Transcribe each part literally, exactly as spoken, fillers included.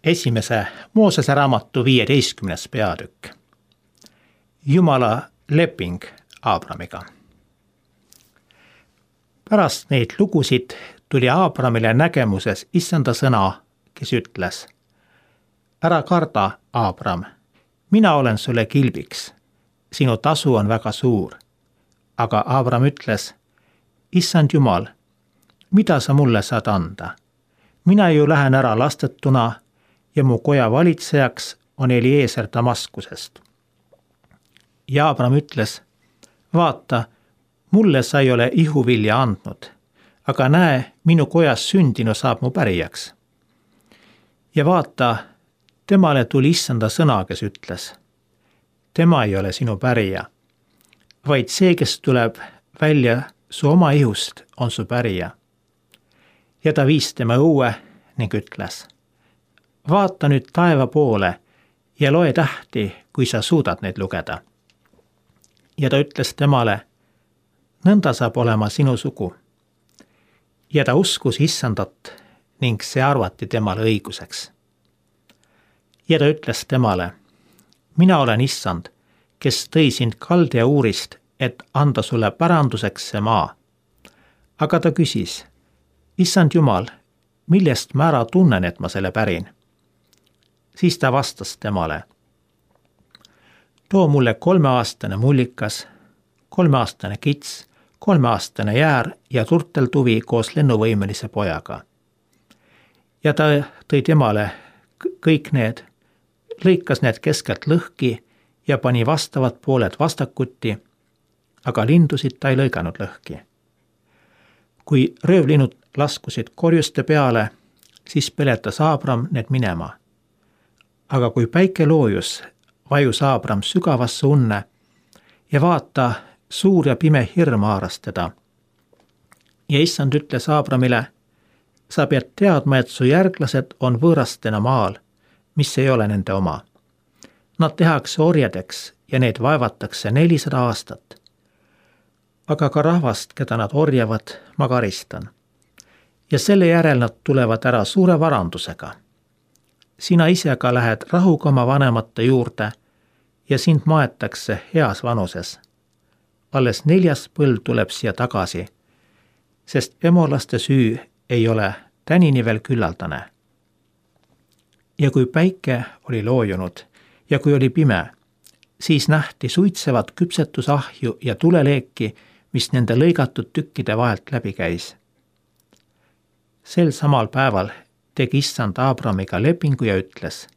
esimese Moosese raamatu viieteistkümnes peatükk. Jumala leping Aabramiga. Pärast neid lugusid tuli Aabramile nägemuses issanda sõna, kes ütles: ära karda, Aabram, mina olen sulle kilbiks, sinu tasu on väga suur. Aga Aabram ütles: issand Jumal, mida sa mulle saad anda? Mina ju lähen ära lastetuna ja mu koja valitsejaks on Eliezer Damaskusest. Ja Aabram ütles: vaata, mulle sa ei ole ihuvilja andnud, aga näe, minu kojas sündinu saab mu pärijaks. Ja vaata, temale tuli issanda sõna, kes ütles: tema ei ole sinu pärija, vaid see, kes tuleb välja su oma ihust, on su pärija. Ja ta viis tema õue ning ütles: vaata nüüd taeva poole ja loe tähti, kui sa suudad neid lugeda. Ja ta ütles temale: nõnda saab olema sinu sugu. Ja ta uskus issandat ning see arvati temale õiguseks. Ja ta ütles temale: mina olen issand, kes tõi sind Kaldea uurist, et anda sulle päranduseks see maa. Aga ta küsis: issand Jumal, millest ma ära tunnen, et ma selle pärin? Siis ta vastas temale: too mulle kolmeaastane mullikas, kolmeaastane kits, kolmeaastane jäär ja turteltuvi koos lennuvõimelise pojaga. Ja ta tõi temale kõik need, lõikas need keskelt lõhki ja pani vastavad pooled vastakuti, aga lindusid ta ei lõiganud lõhki. Kui röövlinud laskusid korjuste peale, siis peletas Aabram need minema. Aga kui päike loojus, vajus Aabram sügavasse unne ja vaata, suur ja pime hirm haaras teda. Ja issand ütles Aabramile: sa pead teadma, et su järglased on võõrastena maal, mis ei ole nende oma. Nad tehakse orjadeks ja neid vaevatakse nelisada aastat. Aga ka rahvast, keda nad orjavad, ma karistan. Ja selle järel nad tulevad ära suure varandusega. Sina ise ka lähed rahuga oma vanemate juurde ja sind maetakse heas vanuses. Alles neljas põlv tuleb siia tagasi, sest emolaste süü ei ole tänini veel küllaldane. Ja kui päike oli loojunud ja kui oli pime, siis nähti suitsevat küpsetusahju ja tuleleeki, mis nende lõigatud tükkide vahelt läbi käis. Sel samal päeval tegi issand Aabramiga lepingu ja ütles: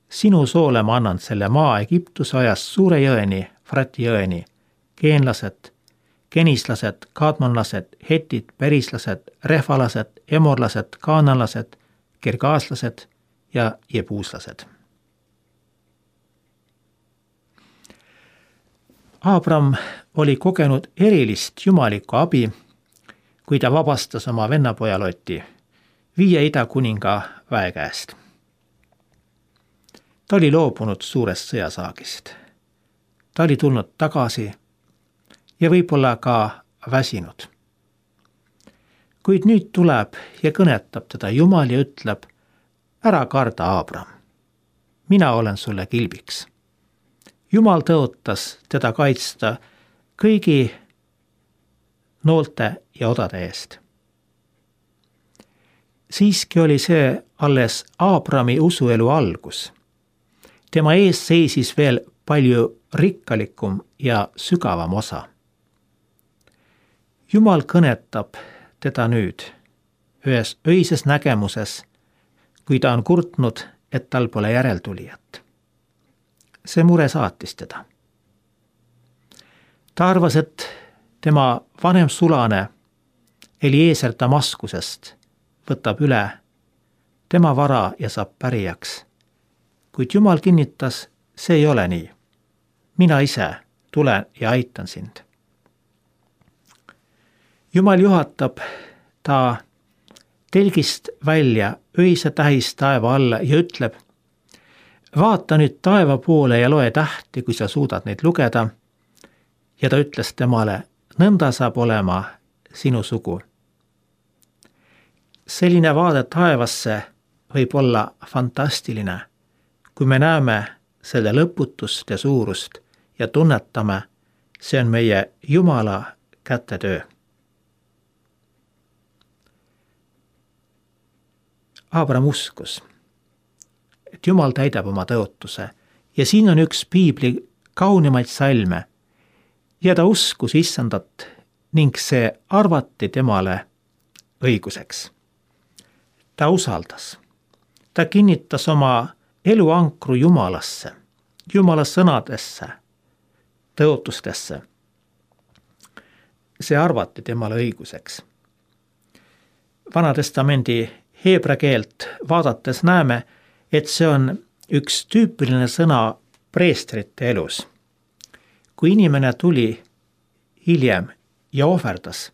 sinu soole ma annan selle maa Egiptuse ajast suure jõeni, Frati jõeni, geenlased, kenislased, kaadmanlased, hetid, perislased, rehvalased, emorlased, kaananlased, kirgaaslased ja jebuuslased. Aabram oli kogenud erilist jumalikku abi, kui ta vabastas oma vennapoja Loti viie ida kuninga väe käest. Ta oli loobunud suurest sõjasaagist. Ta oli tulnud tagasi ja võib-olla ka väsinud. Kuid nüüd tuleb ja kõnetab teda Jumal ja ütleb: ära karda, Aabram, mina olen sulle kilbiks. Jumal tõotas teda kaitsta kõigi noolte ja odade eest. Siiski oli see alles Aabrami usuelu algus. Tema ees seisis veel palju rikkalikum ja sügavam osa. Jumal kõnetab teda nüüd ühes öises nägemuses, kui ta on kurtnud, et tal pole järeltulijat. See mure saatis teda. Ta arvas, et tema vanem sulane Eliezer Damaskusest võtab üle tema vara ja saab pärijaks. Kuid Jumal kinnitas, see ei ole nii. Mina ise tulen ja aitan sind. Jumal juhatab ta telgist välja öise tähis taeva alla ja ütleb: vaata nüüd taeva poole ja loe tähti, kui sa suudad neid lugeda. Ja ta ütles temale: nõnda saab olema sinu sugu. Selline vaade taevasse võib olla fantastiline, kui me näeme selle lõputust ja suurust ja tunnetame, see on meie Jumala kätetöö. Abraham uskus, et Jumal täidab oma tõotuse ja siin on üks piibli kaunimaid salme ja ta uskus issandat ning see arvati temale õiguseks. Ta usaldas. Ta kinnitas oma eluankru Jumalasse, Jumala sõnadesse, tõotustesse. See arvati temale õiguseks. Vanatestamendi heebra keelt vaadates näeme, et see on üks tüüpiline sõna preestrite elus. Kui inimene tuli hiljem ja ohverdas,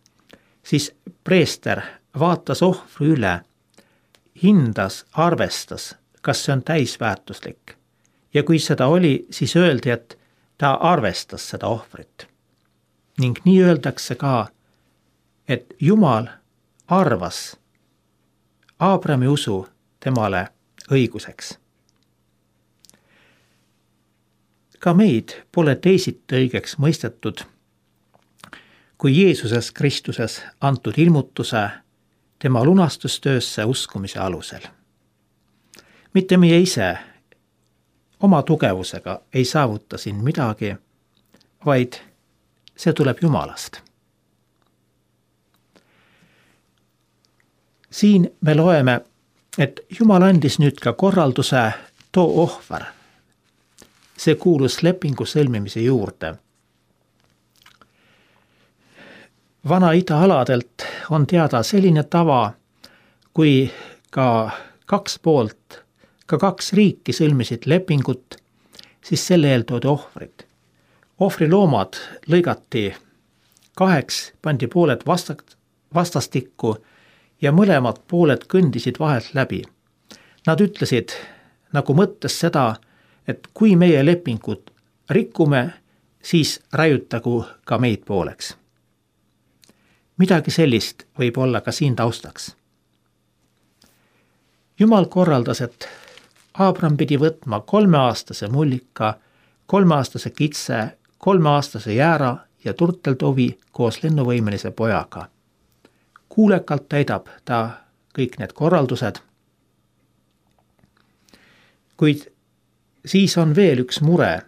siis preester vaatas ohvri üle, hindas, arvestas, kas see on täisväärtuslik. Ja kui seda oli, siis öeldi, et ta arvestas seda ohvrit. Ning nii öeldakse ka, et Jumal arvas Abrahami usu temale õiguseks. Ka meid pole teisiti õigeks mõistetud, kui Jeesuses Kristuses antud ilmutuse tema lunastustöösse uskumise alusel. Mitte meie ise oma tugevusega ei saavuta siin midagi, vaid see tuleb Jumalast. Siin me loeme, et Jumal andis nüüd ka korralduse too ohver. See kuulus lepingu sõlmimise juurde. Vana-ida aladelt on teada selline tava, kui ka kaks poolt, ka kaks riiki sõlmisid lepingut, siis selle eel toodi ohvrid. Ohvriloomad lõigati kaheks, pandi pooled vastastikku ja mõlemad pooled kõndisid vahelt läbi. Nad ütlesid nagu mõttes seda, et kui meie lepingut rikkume, siis raiutagu ka meid pooleks. Midagi sellist võib olla ka siin taustaks. Jumal korraldas, et Abraham pidi võtma kolmeaastase mullika, kolmeaastase kitse, kolmeaastase jäära ja turteltovi koos lennuvõimelise pojaga. Kuulekalt täidab ta kõik need korraldused. Kuid siis on veel üks mure.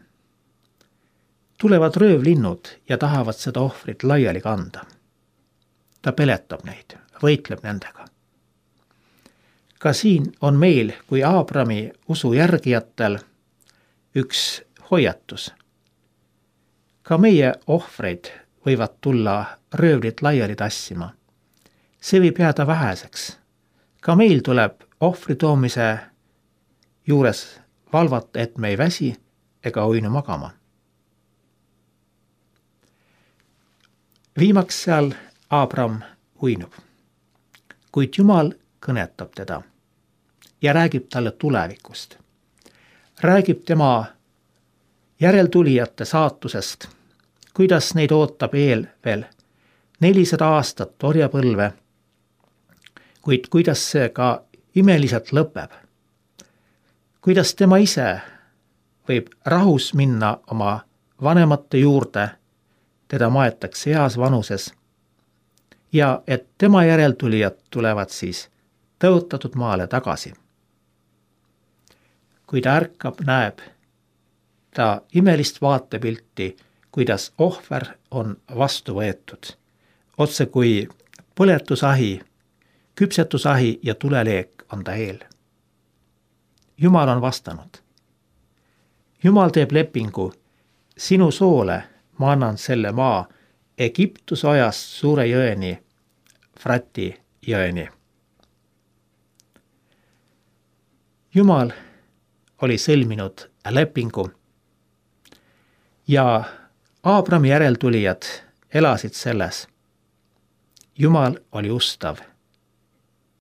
Tulevad röövlinnud ja tahavad seda ohvrit laiali kanda. Ta peletab neid, võitleb nendega. Ka siin on meil kui Abrahami usu järgijatel üks hoiatus. Ka meie ohvreid võivad tulla röövlit laiali tassima. See võib jääda väheseks. Ka meil tuleb ohvri toomise juures valvata, et me ei väsi ega uinu magama. Viimaks seal Abraham uinub, kuid Jumal kõnetab teda ja räägib talle tulevikust. Räägib tema järeltulijate saatusest, kuidas neid ootab eel veel nelisada aastat orjapõlve, kuid kuidas see ka imeliselt lõpeb. Kuidas tema ise võib rahus minna oma vanemate juurde, teda maetakse heas vanuses ja et tema järeltulijad tulevad siis tõotatud maale tagasi. Kui ta ärkab, näeb ta imelist vaatepilti, kuidas ohver on vastu võetud, otse kui põletusahi, küpsetusahi ja tuleleek on ta eel. Jumal on vastanud. Jumal teeb lepingu, sinu soole ma annan selle maa Egiptuse ajast suure jõeni, Frati jõeni. Jumal oli sõlminud lepingu ja Abrahami järeltulijad elasid selles. Jumal oli ustav